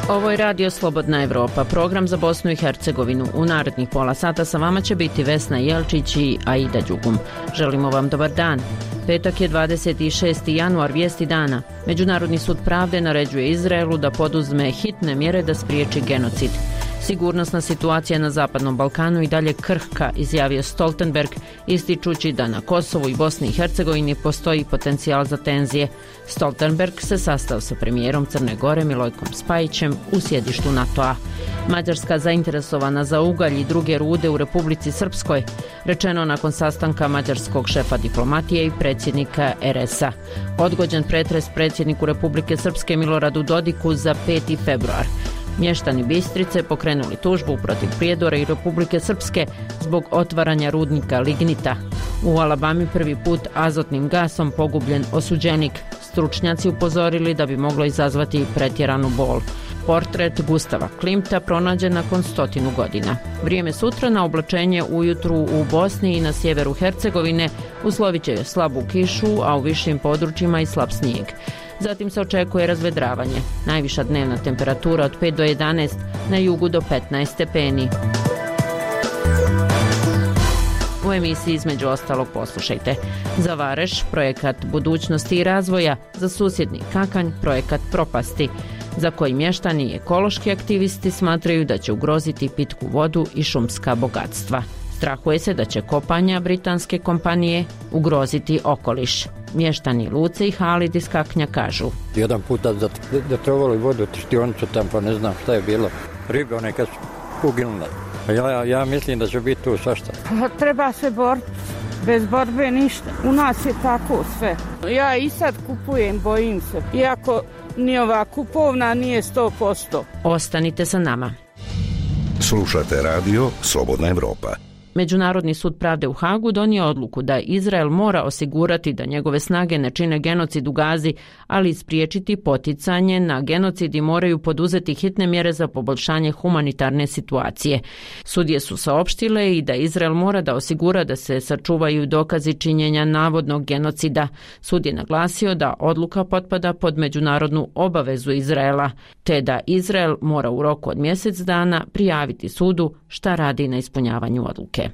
Ovo je Radio Slobodna Evropa, program za Bosnu i Hercegovinu. U narednih pola sata sa vama će biti Vesna Jelčić i Aida Đugum. Želimo vam dobar dan. Petak je 26. januar, vijesti dana. Međunarodni sud pravde naređuje Izraelu da poduzme hitne mjere da spriječi genocid. Sigurnosna situacija na Zapadnom Balkanu i dalje krhka, izjavio Stoltenberg, ističući da na Kosovu i Bosni i Hercegovini postoji potencijal za tenzije. Stoltenberg se sastao sa premijerom Crne Gore Milojkom Spajićem u sjedištu NATO-a. Mađarska zainteresovana za ugalj i druge rude u Republici Srpskoj, rečeno nakon sastanka mađarskog šefa diplomatije i predsjednika RS-a. Odgođen pretres predsjedniku Republike Srpske Miloradu Dodiku za 5. februar. Mještani Bistrice pokrenuli tužbu protiv Prijedora i Republike Srpske zbog otvaranja rudnika lignita. U Alabami prvi put azotnim gasom pogubljen osuđenik. Stručnjaci upozorili da bi moglo izazvati pretjeranu bol. Portret Gustava Klimta pronađen nakon 100 godina. Vrijeme sutra na oblačenje ujutru u Bosni i na sjeveru Hercegovine uslovit će slabu kišu, a u višim područjima i slab snijeg. Zatim se očekuje razvedravanje. Najviša dnevna temperatura od 5 do 11, na jugu do 15 stepeni. U emisiji između ostalog poslušajte: za Vareš projekat budućnosti i razvoja, za susjedni Kakanj projekat propasti, za koji mještani i ekološki aktivisti smatraju da će ugroziti pitku vodu i šumska bogatstva. Strahuje se da će kopanja britanske kompanije ugroziti okoliš. Mještani Luce i Halid iz Kaknja kažu: jedan puta zatrovali vodu u tištionicu tam, pa ne znam šta je bilo. Ribe one kad su uginule. Ja mislim da će biti tu svašta. Treba se boriti. Bez borbe ništa. U nas je tako sve. Ja i sad kupujem, bojim se. Iako ni ova kupovna nije 100%. Ostanite sa nama. Slušate radio Slobodna Evropa. Međunarodni sud pravde u Hagu donio odluku da Izrael mora osigurati da njegove snage ne čine genocid u Gazi, ali spriječiti poticanje na genocid i moraju poduzeti hitne mjere za poboljšanje humanitarne situacije. Sudije su saopštile i da Izrael mora da osigura da se sačuvaju dokazi činjenja navodnog genocida. Sud je naglasio da odluka potpada pod međunarodnu obavezu Izraela, te da Izrael mora u roku od mjesec dana prijaviti sudu šta radi na ispunjavanju odluke.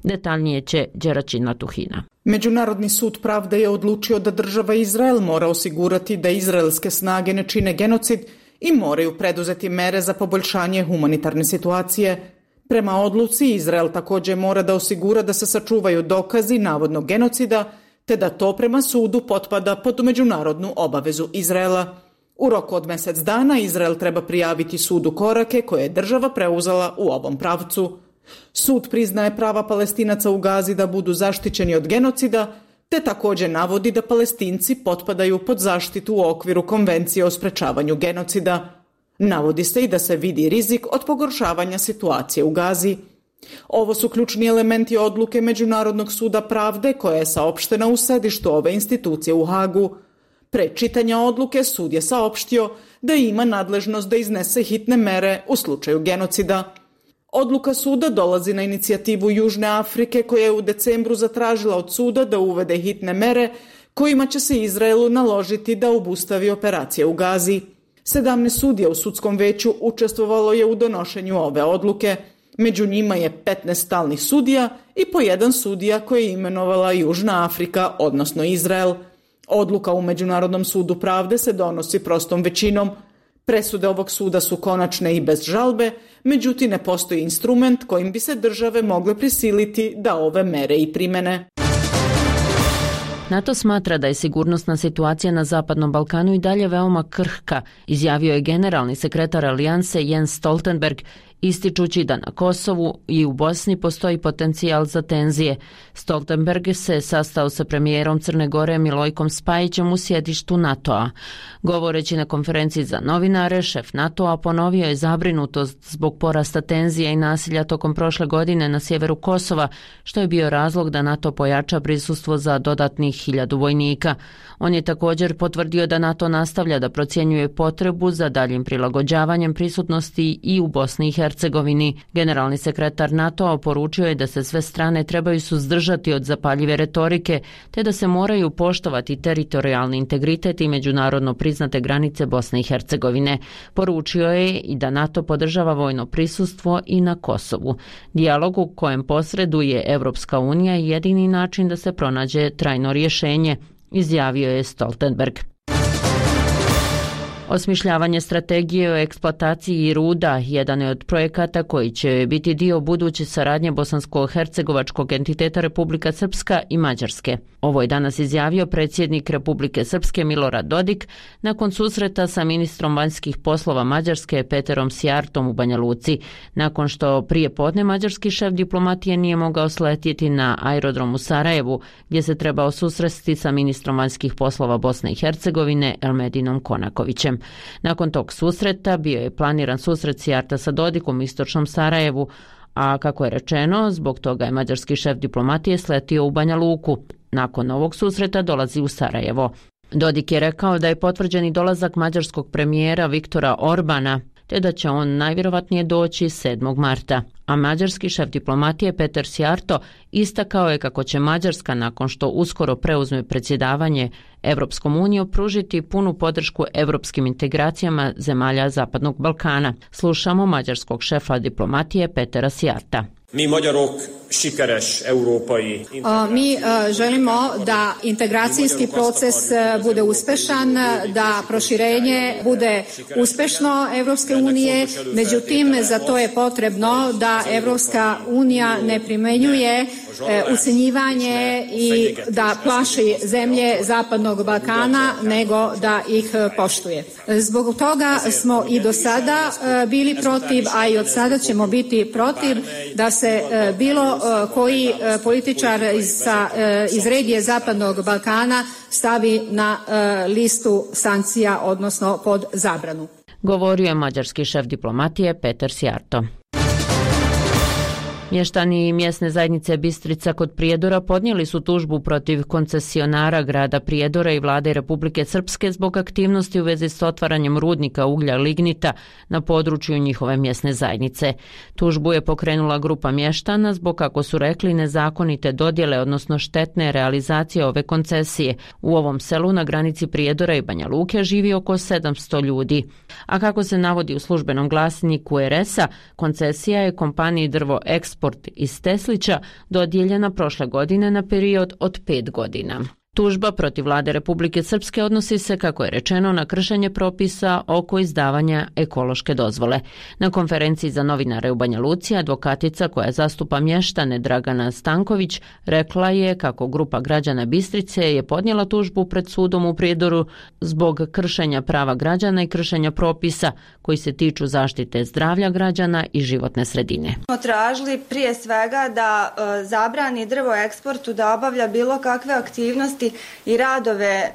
Detaljnije će Đeračina Tuhina. Međunarodni sud pravde je odlučio da država Izrael mora osigurati da izraelske snage ne čine genocid i moraju preduzeti mere za poboljšanje humanitarne situacije. Prema odluci, Izrael također mora da osigura da se sačuvaju dokazi navodnog genocida, te da to prema sudu potpada pod međunarodnu obavezu Izraela. U roku od mjesec dana Izrael treba prijaviti sudu korake koje je država preuzela u ovom pravcu. Sud priznaje prava Palestinaca u Gazi da budu zaštićeni od genocida, te također navodi da Palestinci potpadaju pod zaštitu u okviru Konvencije o sprečavanju genocida. Navodi se i da se vidi rizik od pogoršavanja situacije u Gazi. Ovo su ključni elementi odluke Međunarodnog suda pravde koja je saopštena u sedištu ove institucije u Hagu. Pre čitanja odluke sud je saopštio da ima nadležnost da iznese hitne mere u slučaju genocida. Odluka suda dolazi na inicijativu Južne Afrike koja je u decembru zatražila od suda da uvede hitne mere kojima će se Izraelu naložiti da obustavi operacije u Gazi. 17 sudija u sudskom veću učestvovalo je u donošenju ove odluke. Među njima je 15 stalnih sudija i po jedan sudija koji je imenovala Južna Afrika, odnosno Izrael. Odluka u Međunarodnom sudu pravde se donosi prostom većinom. Presude ovog suda su konačne i bez žalbe, međutim ne postoji instrument kojim bi se države mogle prisiliti da ove mere i primene. NATO smatra da je sigurnosna situacija na Zapadnom Balkanu i dalje veoma krhka, izjavio je generalni sekretar Alijanse Jens Stoltenberg, ističući da na Kosovu i u Bosni postoji potencijal za tenzije. Stoltenberg se sastao sa premijerom Crne Gore Milojkom Spajićem u sjedištu NATO-a. Govoreći na konferenciji za novinare, šef NATO-a ponovio je zabrinutost zbog porasta tenzija i nasilja tokom prošle godine na sjeveru Kosova, što je bio razlog da NATO pojača prisustvo za dodatnih 1000 vojnika. On je također potvrdio da NATO nastavlja da procjenjuje potrebu za daljim prilagođavanjem prisutnosti i u Bosni i Hercegovini. Hercegovini. Generalni sekretar NATO-a poručio je da se sve strane trebaju suzdržati od zapaljive retorike, te da se moraju poštovati teritorijalni integritet i međunarodno priznate granice Bosne i Hercegovine. Poručio je i da NATO podržava vojno prisustvo i na Kosovu. Dijalog u kojem posreduje Evropska unija je jedini način da se pronađe trajno rješenje, izjavio je Stoltenberg. Osmišljavanje strategije o eksploataciji ruda jedan je od projekata koji će biti dio buduće saradnje bosansko-hercegovačkog entiteta Republika Srpska i Mađarske. Ovo je danas izjavio predsjednik Republike Srpske Milorad Dodik nakon susreta sa ministrom vanjskih poslova Mađarske Peterom Sjartom u Banja Luci, nakon što prije podne mađarski šef diplomatije nije mogao sletjeti na aerodrom u Sarajevu, gdje se trebao susresti sa ministrom vanjskih poslova Bosne i Hercegovine Elmedinom Konakovićem. Nakon tog susreta bio je planiran susret Sjarta sa Dodikom u istočnom Sarajevu, a kako je rečeno, zbog toga je mađarski šef diplomatije sletio u Banja Luku. Nakon ovog susreta dolazi u Sarajevo. Dodik je rekao da je potvrđeni dolazak mađarskog premijera Viktora Orbana, te da će on najvjerovatnije doći 7. marta. A mađarski šef diplomatije Peter Sjarto istakao je kako će Mađarska, nakon što uskoro preuzme predsjedavanje Evropskom unijom, pružiti punu podršku evropskim integracijama zemalja Zapadnog Balkana. Slušamo mađarskog šefa diplomatije Petera Sjarta. Mi magyarok sikeres európai. Mi želimo da integracijski proces bude uspešan, da proširenje bude uspešno Evropske unije, međutim za to je potrebno da Evropska unija ne primenjuje ucjenjivanje i da plaši zemlje Zapadnog Balkana, nego da ih poštuje. Zbog toga smo i do sada bili protiv, a i od sada ćemo biti protiv da se bilo koji političar iz regije Zapadnog Balkana stavi na listu sankcija, odnosno pod zabranu. Govorio je mađarski šef diplomatije Peter Sjarto. Mještani mjesne zajednice Bistrica kod Prijedora podnijeli su tužbu protiv koncesionara grada Prijedora i vlade Republike Srpske zbog aktivnosti u vezi s otvaranjem rudnika uglja lignita na području njihove mjesne zajednice. Tužbu je pokrenula grupa mještana zbog, kako su rekli, nezakonite dodjele, odnosno štetne realizacije ove koncesije. U ovom selu na granici Prijedora i Banja Luke živi oko 700 ljudi. A kako se navodi u službenom glasniku RS-a, koncesija je kompaniji Drvo Eksport iz Teslića dodijeljena prošle godine na period od 5 godina. Tužba protiv vlade Republike Srpske odnosi se, kako je rečeno, na kršenje propisa oko izdavanja ekološke dozvole. Na konferenciji za novinare u Banja Luci advokatica koja zastupa mještane Dragana Stanković rekla je kako grupa građana Bistrice je podnijela tužbu pred sudom u Prijedoru zbog kršenja prava građana i kršenja propisa koji se tiču zaštite zdravlja građana i životne sredine. Smo tražili prije svega da zabrani Drvo Eksportu da obavlja bilo kakve aktivnosti i radove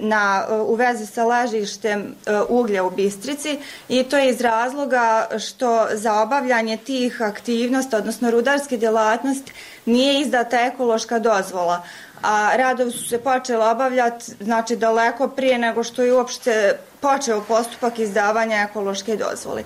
u vezi sa ležištem uglja u Bistrici, i to je iz razloga što za obavljanje tih aktivnosti, odnosno rudarske djelatnosti, nije izdata ekološka dozvola. A radovi su se počeli obavljati znači daleko prije nego što je uopšte počeo postupak izdavanja ekološke dozvole.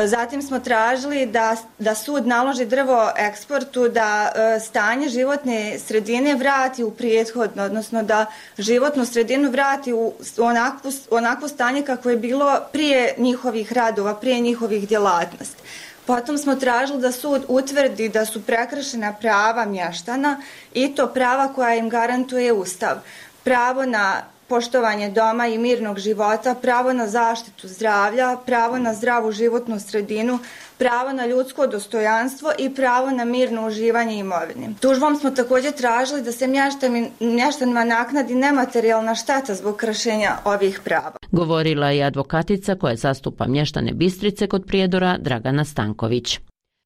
Zatim smo tražili da sud naloži Drvo Eksportu da stanje životne sredine vrati u prethodno, odnosno da životnu sredinu vrati u onakvo stanje kako je bilo prije njihovih radova, prije njihovih djelatnosti. Potom smo tražili da sud utvrdi da su prekršena prava mještana, i to prava koja im garantuje Ustav. Pravo na poštovanje doma i mirnog života, pravo na zaštitu zdravlja, pravo na zdravu životnu sredinu, pravo na ljudsko dostojanstvo i pravo na mirno uživanje imovine. Tužbom smo također tražili da se mještanima naknadi nematerijalna šteta zbog kršenja ovih prava. Govorila je advokatica koja zastupa mještane Bistrice kod Prijedora Dragana Stanković.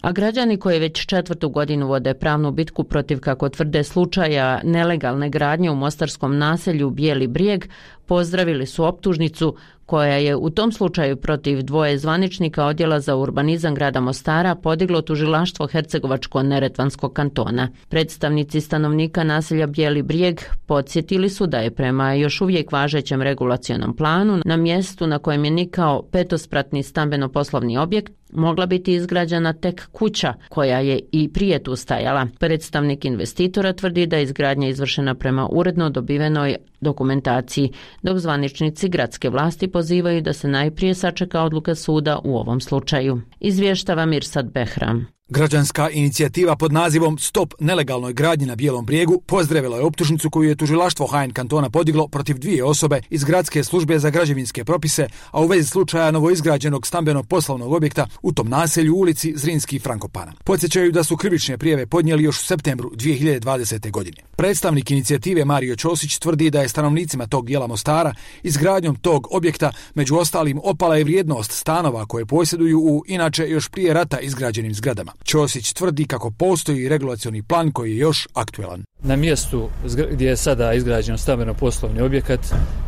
A građani koji već 4. godinu vode pravnu bitku protiv, kako tvrde, slučaja nelegalne gradnje u mostarskom naselju Bijeli Brijeg pozdravili su optužnicu koja je u tom slučaju protiv dvoje zvaničnika Odjela za urbanizam grada Mostara podiglo tužilaštvo Hercegovačko-Neretvanskog kantona. Predstavnici stanovnika naselja Bijeli Brijeg podsjetili su da je prema još uvijek važećem regulacionom planu na mjestu na kojem je nikao petospratni stambeno-poslovni objekt mogla biti izgrađena tek kuća koja je i prije tu stajala. Predstavnik investitora tvrdi da je izgradnja izvršena prema uredno dobivenoj dokumentaciji, dok zvaničnici gradske vlasti pozivaju da se najprije sačeka odluka suda u ovom slučaju. Izvještava Mirsad Behram. Građanska inicijativa pod nazivom Stop nelegalnoj gradnji na Bijelom Brijegu pozdravila je optužnicu koju je tužilaštvo HN kantona podiglo protiv dvije osobe iz Gradske službe za građevinske propise, a u vezi slučaja novoizgrađenog stambeno-poslovnog objekta u tom naselju u ulici Zrinski Frankopana. Podsjećaju da su krivične prijave podnijeli još u septembru 2020. godine. Predstavnik inicijative Mario Ćosić tvrdi da je stanovnicima tog dijela Mostara izgradnjom tog objekta među ostalim opala je vrijednost stanova koje posjeduju u inače još prije rata izgrađenim zgradama. Ćosić tvrdi kako postoji regulacioni plan koji je još aktuelan. Na mjestu gdje je sada izgrađen stambeno-poslovni objekat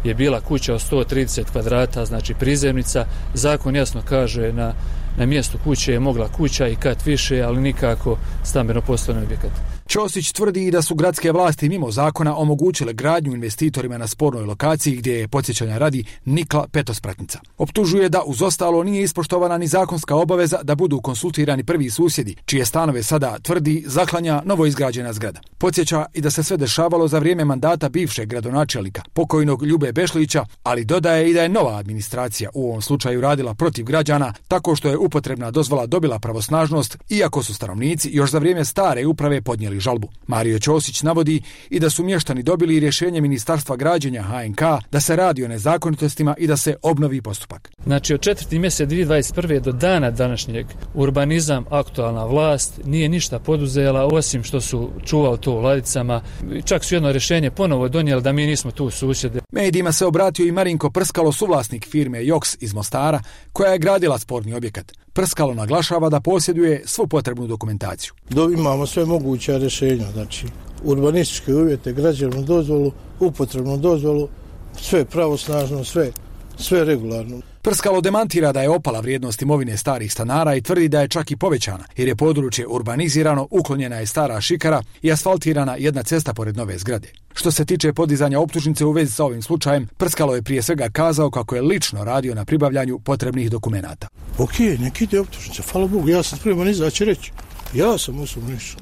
je bila kuća od 130 kvadrata, znači prizemnica. Zakon jasno kaže na mjestu kuće je mogla kuća i kat više, ali nikako stambeno-poslovni objekat. Ćosić tvrdi da su gradske vlasti mimo zakona omogućile gradnju investitorima na spornoj lokaciji gdje je, podsjećanja radi, nikla petospratnica. Optužuje da uz ostalo nije ispoštovana ni zakonska obaveza da budu konsultirani prvi susjedi, čije stanove sada, tvrdi, zaklanja novoizgrađena zgrada. Podsjeća i da se sve dešavalo za vrijeme mandata bivšeg gradonačelnika, pokojnog Ljube Bešlića, ali dodaje i da je nova administracija u ovom slučaju radila protiv građana tako što je upotrebna dozvola dobila pravosnažnost, iako su stanovnici još za vrijeme stare uprave podnijeli žalbu. Mario Ćosić navodi i da su mještani dobili rješenje Ministarstva građenja HNK da se radi o nezakonitostima i da se obnovi postupak. Znači od 4. mjeseca 2021. do dana današnjeg urbanizam, aktualna vlast nije ništa poduzela osim što su čuvali to u ladicama. Čak su jedno rješenje ponovo donijeli da mi nismo tu susjede. Medijima se obratio i Marinko Prskalo, suvlasnik firme Joks iz Mostara koja je gradila sporni objekat. Prskalo naglašava da posjeduje svu potrebnu dokumentaciju. Imamo sve moguće rješenja, znači urbanističke uvjete, građevnu dozvolu, upotrebnu dozvolu, sve pravosnažno, sve regularno. Prskalo demantira da je opala vrijednost imovine starih stanara i tvrdi da je čak i povećana, jer je područje urbanizirano, uklonjena je stara šikara i asfaltirana jedna cesta pored nove zgrade. Što se tiče podizanja optužnice u vezi sa ovim slučajem, Prskalo je prije svega kazao kako je lično radio na pribavljanju potrebnih dokumenata. Ok, neki ide optužnica, hvala Bogu, ja sam spreman izaći reći. Ja sam osobno išao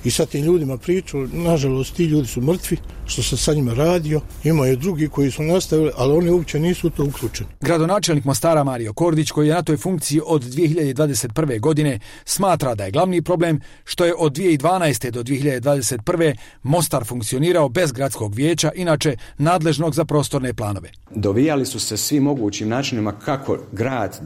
i sa tim ljudima pričao, nažalost ti ljudi su mrtvi, što sam sa njima radio, ima i drugi koji su nastavili, ali oni uopće nisu u to uključeni. Gradonačelnik Mostara Mario Kordić, koji je na toj funkciji od 2021. godine, smatra da je glavni problem što je od 2012. do 2021. Mostar funkcionirao bez gradskog vijeća, inače nadležnog za prostorne planove. Dovijali su se svim mogućim načinima kako grad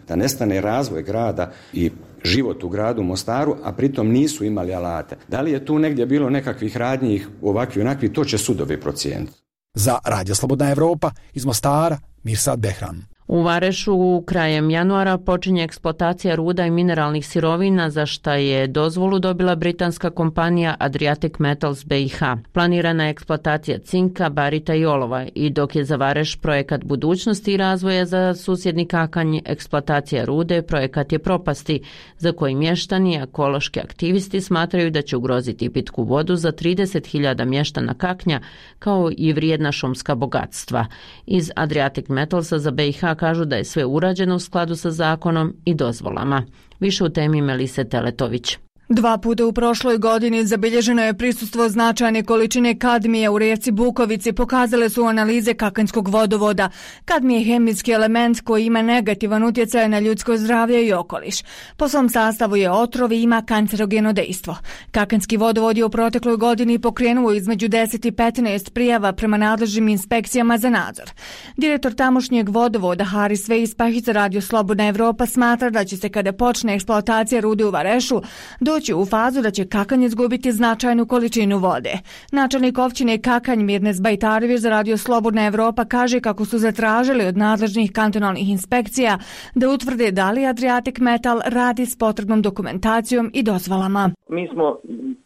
da nestane razvoj grada i život u gradu Mostaru, a pritom nisu imali alate. Da li je tu negdje bilo nekakvih radnji ovakvi onakvi, to će sudovi procijeniti. Za Radio Slobodna Evropa iz Mostara, Mirsad Behram. U Varešu krajem januara počinje eksploatacija ruda i mineralnih sirovina za šta je dozvolu dobila britanska kompanija Adriatic Metals BiH. Planirana je eksploatacija cinka, barita i olova i dok je za Vareš projekat budućnosti i razvoja za susjedni Kakanj eksploatacija rude, projekat je propasti za koji mještani i ekološki aktivisti smatraju da će ugroziti pitku vodu za 30.000 mještana Kaknja kao i vrijedna šumska bogatstva. Iz Adriatic Metalsa za BiH kažu da je sve urađeno u skladu sa zakonom i dozvolama. Više u temi Melise Teletović. 2 puta u prošloj godini zabilježeno je prisustvo značajne količine kadmija u rijeci Bukovici, pokazale su analize Kakanjskog vodovoda. Kadmij je hemijski element koji ima negativan utjecaj na ljudsko zdravlje i okoliš. Po svom sastavu je otrov i ima kancerogeno dejstvo. Kakanjski vodovod je u protekloj godini pokrenuo između 10 i 15 prijava prema nadležnim inspekcijama za nadzor. Direktor tamošnjeg vodovoda Haris Veispahić za Radio Slobodna Evropa smatra da će se kada počne eksploatacija rude u Varešu doći u fazu da će Kakanj izgubiti značajnu količinu vode. Načelnik općine Kakanj Mirnes Bajtarević za Radio Slobodna Evropa kaže kako su zatražili od nadležnih kantonalnih inspekcija da utvrde da li Adriatic Metal radi s potrebnom dokumentacijom i dozvolama. Mi smo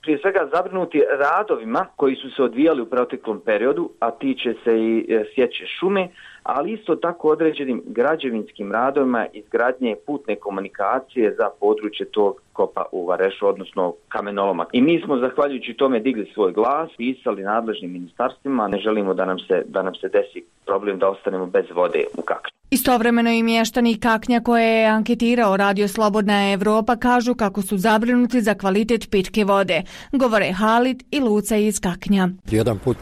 prije svega zabrinuti radovima koji su se odvijali u proteklom periodu, a tiče se i sječe šume, ali isto tako određenim građevinskim radovima izgradnje putne komunikacije za područje tog kopa u Varešu, odnosno kamenoloma. I mi smo zahvaljujući tome digli svoj glas, pisali nadležnim ministarstvima, ne želimo da nam se desi problem da ostanemo bez vode u Kaknju. Istovremeno i mještani Kaknja koje je anketirao Radio Slobodna Evropa kažu kako su zabrinuti za kvalitet pitke vode. Govore Halid i Luca iz Kaknja. Jedan put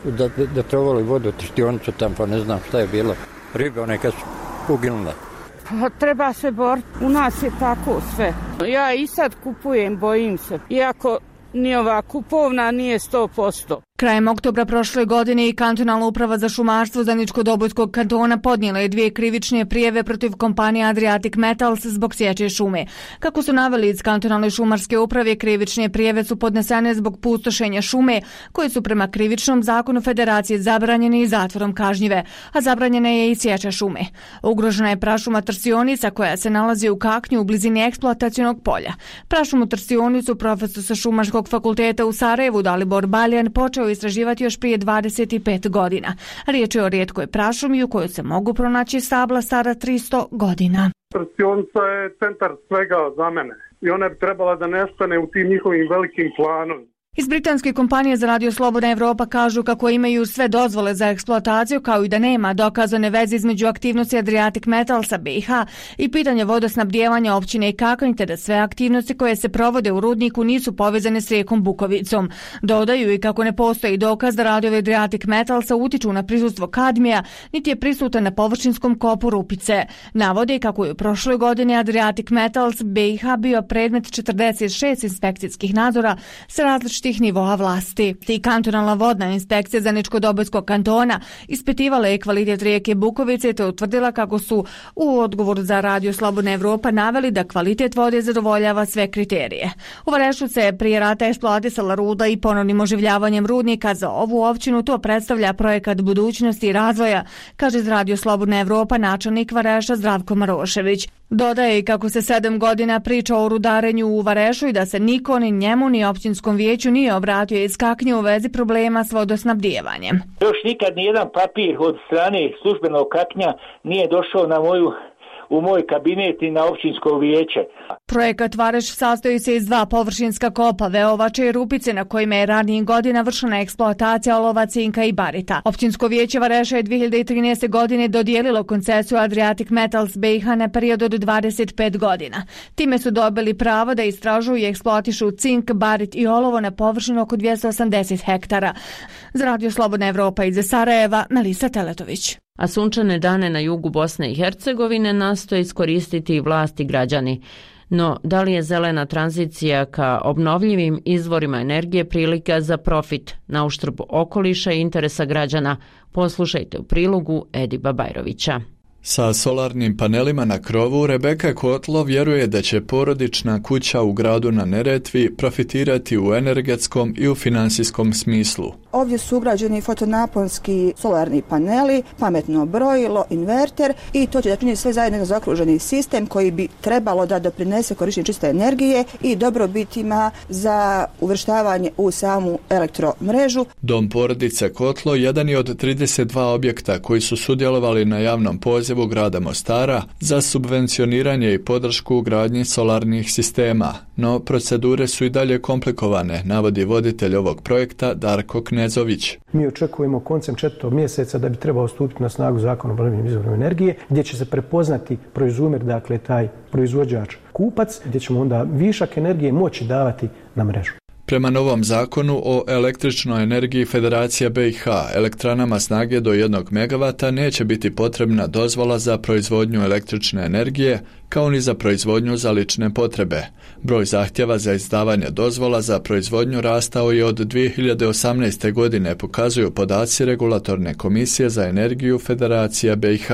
da trovali vodu u Trštionicu tam, pa ne znam šta je bilo. Ribe one kad su uginule. Pa treba se boriti, u nas je tako sve. Ja i sad kupujem, bojim se, iako ni ova kupovna nije 100%. Krajem oktobra prošle godine i kantonalna uprava za šumarstvo Zaničko-Dobojskog kantona podnijela je 2 krivične prijave protiv kompanije Adriatic Metals zbog sječe šume. Kako su naveli iz kantonalne šumarske uprave, krivične prijave su podnesene zbog pustošenja šume, koje su prema krivičnom zakonu Federacije zabranjene i zatvorom kažnjive, a zabranjena je i sječa šume. Ugrožena je prašuma Trstionica koja se nalazi u Kaknju u blizini eksploatacionog polja. Prašumu Trstionicu profesor sa Šumarskog fakulteta u Sarajevu Dalibor Baljan počeo istraživati još prije 25 godina. Riječ je o rijetkoj prašumi u kojoj se mogu pronaći stabla stara 300 godina. Trstionica je centar svega za mene i ona bi trebala da nestane u tim njihovim velikim planovima. Iz britanske kompanije za Radio Slobodna Evropa kažu kako imaju sve dozvole za eksploataciju, kao i da nema dokazane veze između aktivnosti Adriatic Metalsa BiH i pitanja vodosnabdijevanja općine Kakanj, te da sve aktivnosti koje se provode u rudniku nisu povezane s rijekom Bukovicom. Dodaju i kako ne postoji dokaz da radovi Adriatic Metalsa utiču na prisustvo kadmija, niti je prisutan na površinskom kopu Rupice. Navode kako je u prošloj godini Adriatic Metals BiH bio predmet 46 inspekcijskih nadzora sa različitim nivoa vlasti. I kantonalna vodna inspekcija Zaničko-Dobojskog kantona ispitivala je kvalitet rijeke Bukovice te utvrdila kako su u odgovoru za Radio Slobodna Evropa naveli da kvalitet vode zadovoljava sve kriterije. U Varešu se prije rata eksploatisala ruda i ponovnim oživljavanjem rudnika. Za ovu općinu to predstavlja projekat budućnosti i razvoja, kaže iz Radio Slobodna Evropa načelnik Vareša Zdravko Marošević. Dodaje i kako se 7 godina priča o rudarenju u Varešu i da se niko ni njemu ni općinskom vijeću nije obratio iz Kaknje u vezi problema s vodosnabdijevanjem. Još nikad nijedan papir od strane službenog Kaknja nije došao u moj kabinet i na općinsko vijeće. Projekat Vareš sastoji se iz 2 površinska kopa, Veovače i Rupice, na kojima je ranijih godina vršena eksploatacija olova, cinka i barita. Općinsko vijeće Vareša je 2013. godine dodijelilo koncesiju Adriatic Metals BiH na period od 25 godina. Time su dobili pravo da istražuju i eksploatišu cink, barit i olovo na površinu oko 280 hektara. Za Radio Slobodna Evropa iz Sarajeva, Melisa Teletović. A sunčane dane na jugu Bosne i Hercegovine nastoje iskoristiti i vlasti građani. No, da li je zelena tranzicija ka obnovljivim izvorima energije prilika za profit na uštrb okoliša i interesa građana? Poslušajte u prilogu Ediba Bajrovića. Sa solarnim panelima na krovu Rebeka Kotlo vjeruje da će porodična kuća u gradu na Neretvi profitirati u energetskom i u finansijskom smislu. Ovdje su ugrađeni fotonaponski solarni paneli, pametno brojilo, inverter i to će da čini sve zajedno zaokruženi sistem koji bi trebalo da doprinese korištenju čiste energije i dobrobitima za uvrštavanje u samu elektromrežu. Dom porodice Kotlo jedan je od 32 objekta koji su sudjelovali na javnom pozivu grada Mostara za subvencioniranje i podršku u gradnji solarnih sistema, no procedure su i dalje komplikovane, navodi voditelj ovog projekta Darko Knezović. Mi očekujemo koncem 4. mjeseca da bi trebao stupiti na snagu Zakon o obnovljivim izvorima energije, gdje će se prepoznati proizumer, dakle taj proizvođač kupac, gdje ćemo onda višak energije moći davati na mrežu. Prema novom zakonu o električnoj energiji Federacija BiH, elektranama snage do 1 MW neće biti potrebna dozvola za proizvodnju električne energije, kao ni za proizvodnju za lične potrebe. Broj zahtjeva za izdavanje dozvola za proizvodnju rastao je od 2018. godine, pokazuju podaci Regulatorne komisije za energiju Federacija BiH.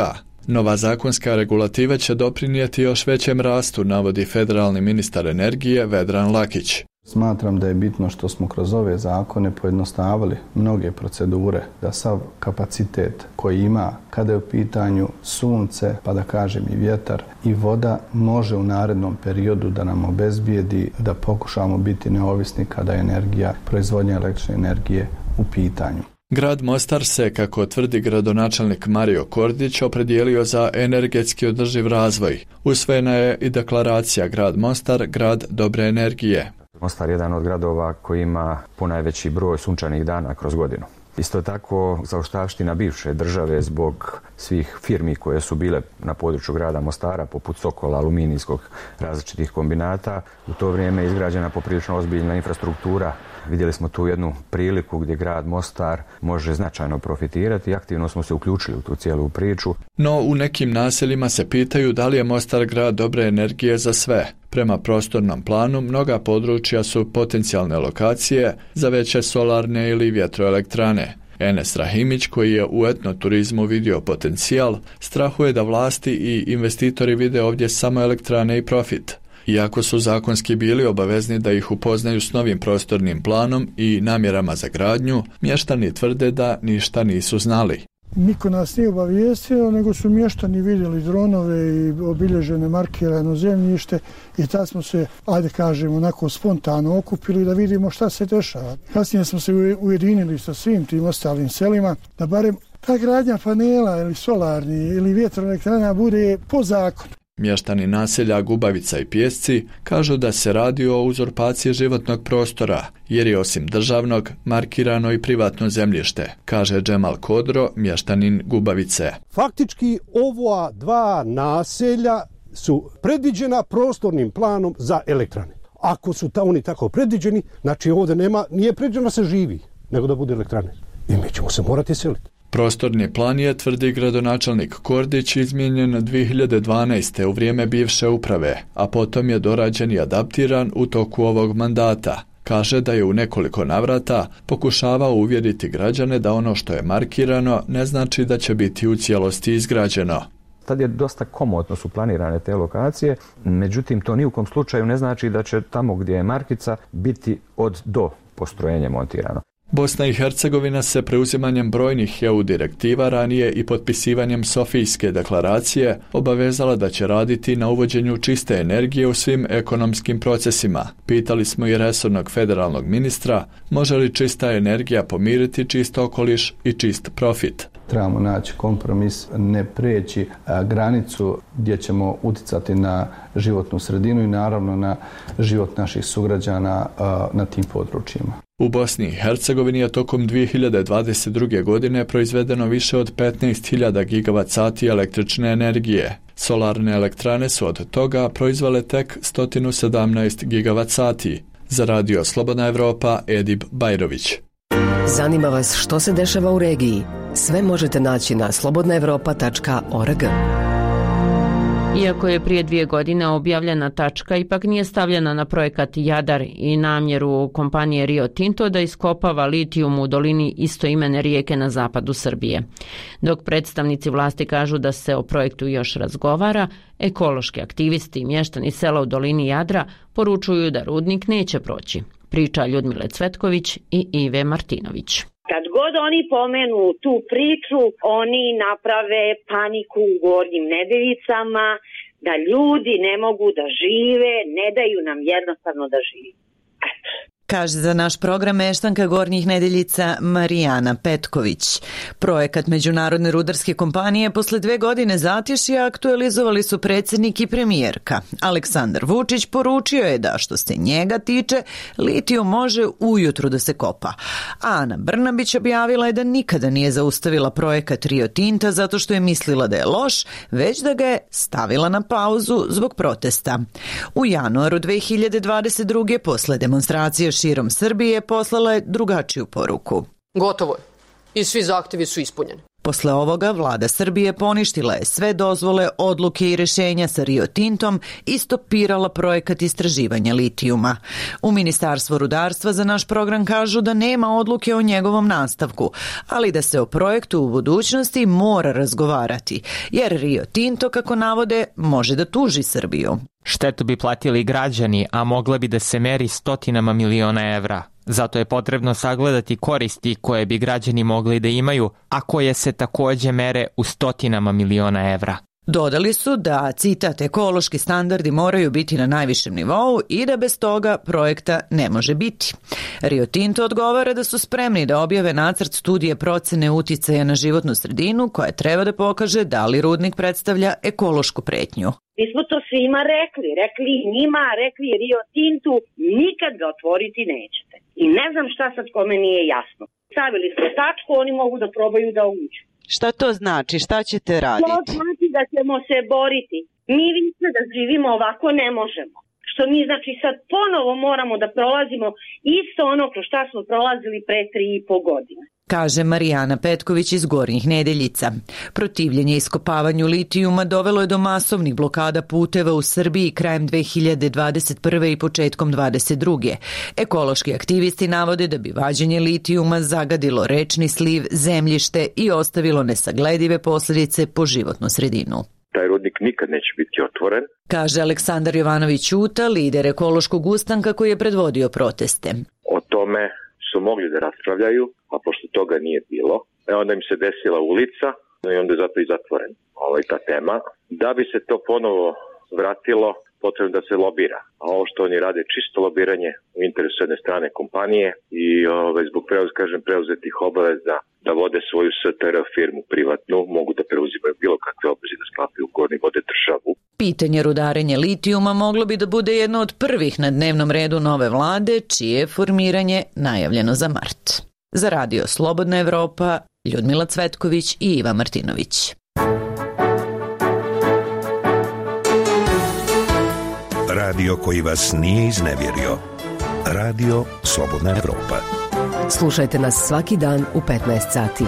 Nova zakonska regulativa će doprinijeti još većem rastu, navodi federalni ministar energije Vedran Lakić. Smatram da je bitno što smo kroz ove zakone pojednostavili mnoge procedure, da sav kapacitet koji ima kada je u pitanju sunce, pa da kažem i vjetar i voda, može u narednom periodu da nam obezbijedi da pokušamo biti neovisni kada je proizvodnja električne energije u pitanju. Grad Mostar se, kako tvrdi gradonačelnik Mario Kordić, opredijelio za energetski održiv razvoj. Usvojena je i deklaracija Grad Mostar, grad dobre energije. Mostar je jedan od gradova koji ima ponajveći broj sunčanih dana kroz godinu. Isto tako, zaostavština bivše države zbog svih firmi koje su bile na području grada Mostara, poput Sokola, aluminijskog, različitih kombinata, u to vrijeme je izgrađena poprilično ozbiljna infrastruktura. Vidjeli smo tu jednu priliku gdje grad Mostar može značajno profitirati i aktivno smo se uključili u tu cijelu priču. No u nekim naseljima se pitaju da li je Mostar grad dobre energije za sve. Prema prostornom planu, mnoga područja su potencijalne lokacije za veće solarne ili vjetroelektrane. Enes Rahimić, koji je u etnoturizmu vidio potencijal, strahuje da vlasti i investitori vide ovdje samo elektrane i profit. Iako su zakonski bili obavezni da ih upoznaju s novim prostornim planom i namjerama za gradnju, mještani tvrde da ništa nisu znali. Niko nas nije obavijestio, nego su mještani vidjeli dronove i obilježene markirano zemljište i tad smo se, ajde kažemo, onako spontano okupili da vidimo šta se dešava. Kasnije smo se ujedinili sa svim tim ostalim selima da barem ta gradnja panela ili solarni ili vjetroelektrana bude po zakonu. Mještani naselja Gubavica i Pijesci kažu da se radi o uzurpaciji životnog prostora, jer je osim državnog markirano i privatno zemljište, kaže Džemal Kodro, mještanin Gubavice. Faktički ova dva naselja su predviđena prostornim planom za elektrane. Ako su oni tako predviđeni, znači ovdje nije predviđeno da se živi, nego da bude elektrane. I mi ćemo se morati seliti. Prostorni plan je, tvrdi gradonačelnik Kordić, izmijenjen 2012. u vrijeme bivše uprave, a potom je dorađen i adaptiran u toku ovog mandata. Kaže da je u nekoliko navrata pokušavao uvjeriti građane da ono što je markirano ne znači da će biti u cijelosti izgrađeno. Tad je dosta komotno su planirane te lokacije, međutim to ni u kom slučaju ne znači da će tamo gdje je markica biti od do postrojenje montirano. Bosna i Hercegovina se preuzimanjem brojnih EU direktiva ranije i potpisivanjem Sofijske deklaracije obavezala da će raditi na uvođenju čiste energije u svim ekonomskim procesima. Pitali smo i resornog federalnog ministra, može li čista energija pomiriti čist okoliš i čist profit. Trebamo naći kompromis, ne preći granicu gdje ćemo uticati na životnu sredinu i naravno na život naših sugrađana na tim područjima. U Bosni i Hercegovini je tokom 2022. godine proizvedeno više od 15.000 gigavat sati električne energije. Solarne elektrane su od toga proizvele tek 117 gigavat sati. Za radio Slobodna Evropa, Edip Bajrović. Zanima vas što se dešava u regiji? Sve možete naći na slobodnaevropa.org. Iako je prije 2 godine objavljena tačka, ipak nije stavljena na projekat Jadar i namjeru kompanije Rio Tinto da iskopava litijum u dolini istoimene rijeke na zapadu Srbije. Dok predstavnici vlasti kažu da se o projektu još razgovara, ekološki aktivisti i mještani sela u dolini Jadra poručuju da rudnik neće proći. Priča Ljudmile Cvetković i Ive Martinović. Kad god oni pomenu tu priču, oni naprave paniku u Gornjim Nedeljicama, da ljudi ne mogu da žive, ne daju nam jednostavno da živi. Eto. Kaže za naš program meštanka Gornjih Nedeljica Marijana Petković. Projekat Međunarodne rudarske kompanije posle 2 godine zatješja aktualizovali su predsjednik i premijerka. Aleksandar Vučić poručio je da što se njega tiče, litijum može ujutru da se kopa. A Ana Brnabić objavila je da nikada nije zaustavila projekat Rio Tinta zato što je mislila da je loš, već da ga je stavila na pauzu zbog protesta. U januaru 2022. posle demonstracije širom Srbije poslala je drugačiju poruku. Gotovo je. I svi zahtjevi su ispunjeni. Posle ovoga vlada Srbije poništila je sve dozvole, odluke i rješenja sa Rio Tintom i stopirala projekat istraživanja litijuma. U Ministarstvu rudarstva za naš program kažu da nema odluke o njegovom nastavku, ali da se o projektu u budućnosti mora razgovarati, jer Rio Tinto, kako navode, može da tuži Srbiju. Štetu bi platili građani, a mogla bi da se meri stotinama miliona evra. Zato je potrebno sagledati koristi koje bi građani mogli da imaju, a koje se također mere u stotinama miliona evra. Dodali su da, citat, ekološki standardi moraju biti na najvišem nivou i da bez toga projekta ne može biti. Rio Tinto odgovara da su spremni da objave nacrt studije procene uticaja na životnu sredinu koja treba da pokaže da li rudnik predstavlja ekološku pretnju. Mi smo to svima rekli njima, rekli Rio Tintu, nikad ga otvoriti nećete. I ne znam šta sad kome nije jasno. Stavili smo tačku, oni mogu da probaju da uđu. Šta to znači? Šta ćete raditi? To znači da ćemo se boriti. Mi više da živimo ovako ne možemo. Što mi znači sad ponovo moramo da prolazimo isto ono kroz šta smo prolazili pre 3,5 godine. Kaže Marijana Petković iz Gornjih Nedeljica. Protivljenje iskopavanju litijuma dovelo je do masovnih blokada puteva u Srbiji krajem 2021. i početkom 2022. Ekološki aktivisti navode da bi vađenje litijuma zagadilo rečni sliv, zemljište i ostavilo nesagledive posljedice po životnu sredinu. Taj rudnik nikad neće biti otvoren. Kaže Aleksandar Jovanović Ćuta, lider ekološkog ustanka koji je predvodio proteste. O tome su mogli da raspravljaju, a pošto toga nije bilo, onda im se desila ulica i onda je zato i zatvoren ta tema. Da bi se to ponovo vratilo, potrebno da se lobira. A ovo što oni rade čisto lobiranje u interesu jedne strane kompanije i zbog preuzetih obaveza da vode svoju STR firmu privatnu, mogu da preuzimaju bilo kakve obaveze da sklapaju ugovor i vode državu. Pitanje rudarenja litijuma moglo bi da bude jedno od prvih na dnevnom redu nove vlade, čije je formiranje najavljeno za mart. Za Radio Slobodna Evropa, Ljudmila Cvetković i Iva Martinović. Radio koji vas nije iznevjerio. Radio Slobodna Evropa. Slušajte nas svaki dan u 15 sati.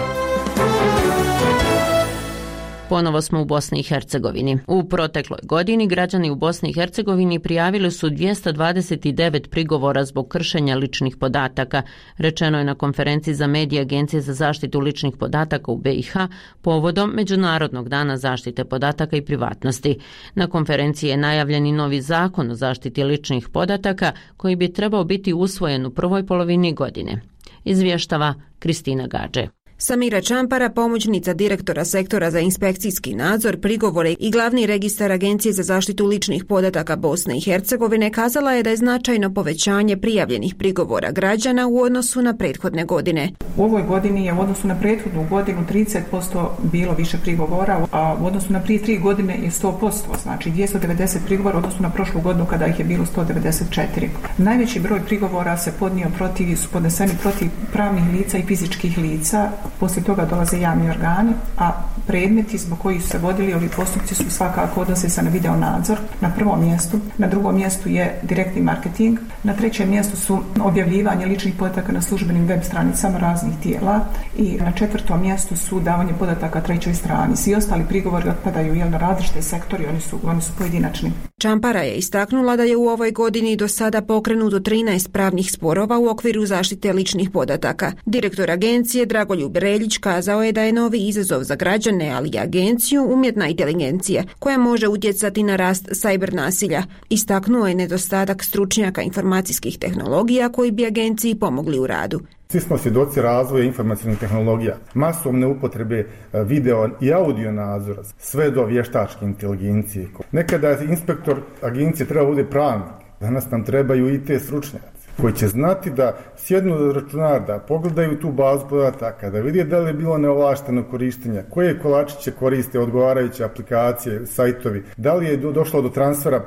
Ponovo smo u Bosni i Hercegovini. U protekloj godini građani u Bosni i Hercegovini prijavili su 229 prigovora zbog kršenja ličnih podataka, rečeno je na konferenciji za medije Agencije za zaštitu ličnih podataka u BiH povodom Međunarodnog dana zaštite podataka i privatnosti. Na konferenciji je najavljen i novi zakon o zaštiti ličnih podataka koji bi trebao biti usvojen u prvoj polovini godine. Izvještava Kristina Gađe. Samira Čampara, pomoćnica direktora sektora za inspekcijski nadzor, prigovore i glavni registar Agencije za zaštitu ličnih podataka Bosne i Hercegovine, kazala je da je značajno povećanje prijavljenih prigovora građana u odnosu na prethodne godine. U ovoj godini je u odnosu na prethodnu godinu 30% bilo više prigovora, a u odnosu na prije 3 godine je 100%, znači 290 prigovora u odnosu na prošlu godinu kada ih je bilo 194. Najveći broj prigovora su podneseni protiv pravnih lica i fizičkih lica. Poslije toga dolaze javni organi, a predmeti zbog kojih su se vodili ovi postupci su svakako odnose se na video nadzor na prvom mjestu, na drugom mjestu je direktni marketing, na trećem mjestu su objavljivanje ličnih podataka na službenim web stranicama raznih tijela i na četvrtom mjestu su davanje podataka trećoj strani. Svi ostali prigovori otpadaju na različite sektori, oni su pojedinačni. Čampara je istaknula da je u ovoj godini do sada pokrenuto 13 pravnih sporova u okviru zaštite ličnih podataka. Direktor agencije Dragoljub Reljić kazao je da je novi izazov za građane, ali i agenciju, umjetna inteligencija koja može utjecati na rast sajber nasilja. Istaknuo je nedostatak stručnjaka informacijskih tehnologija koji bi agenciji pomogli u radu. Svi smo svjedoci razvoja informacijskih tehnologija, masovne upotrebe video i audio nadzora, sve do vještačke inteligencije. Nekada je inspektor agencije treba bude pravnik, danas nam trebaju i te stručnjaci koji će znati da sjednu za računar, da pogledaju tu bazu podataka, da vidi da li je bilo neovlašteno korištenja, koje kolačiće koriste odgovarajuće aplikacije, sajtovi, da li je došlo do transfera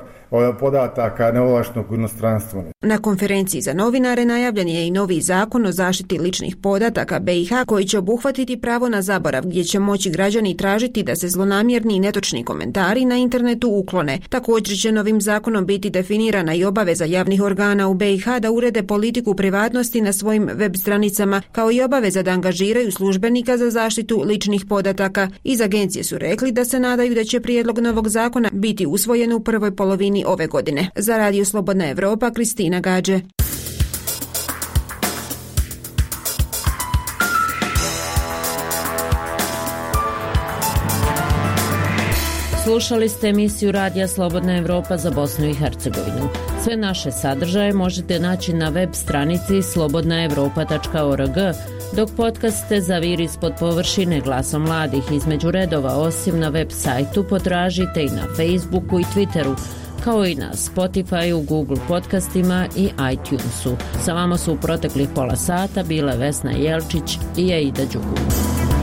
podataka neovlaštenog u inostranstvo. Na konferenciji za novinare najavljen je i novi zakon o zaštiti ličnih podataka BiH koji će obuhvatiti pravo na zaborav, gdje će moći građani tražiti da se zlonamjerni i netočni komentari na internetu uklone. Također će novim zakonom biti definirana i obaveza javnih organa u BiH da urede politiku privatnosti na svojim web stranicama, kao i obaveza da angažiraju službenika za zaštitu ličnih podataka. Iz agencije su rekli da se nadaju da će prijedlog novog zakona biti usvojen u prvoj polovini ove godine. Za Radio Slobodna Evropa, Kristina Gađe. Slušali ste emisiju Radija Slobodna Evropa za Bosnu i Hercegovinu. Sve naše sadržaje možete naći na web stranici slobodnaevropa.org, dok podcaste Zaviri ispod površine glasom mladih između redova, osim na web sajtu, potražite i na Facebooku i Twitteru, kao i na Spotifyu, Google podcastima i iTunesu. Sa vama su u proteklih pola sata bile Vesna Jelčić i Aida Đugum.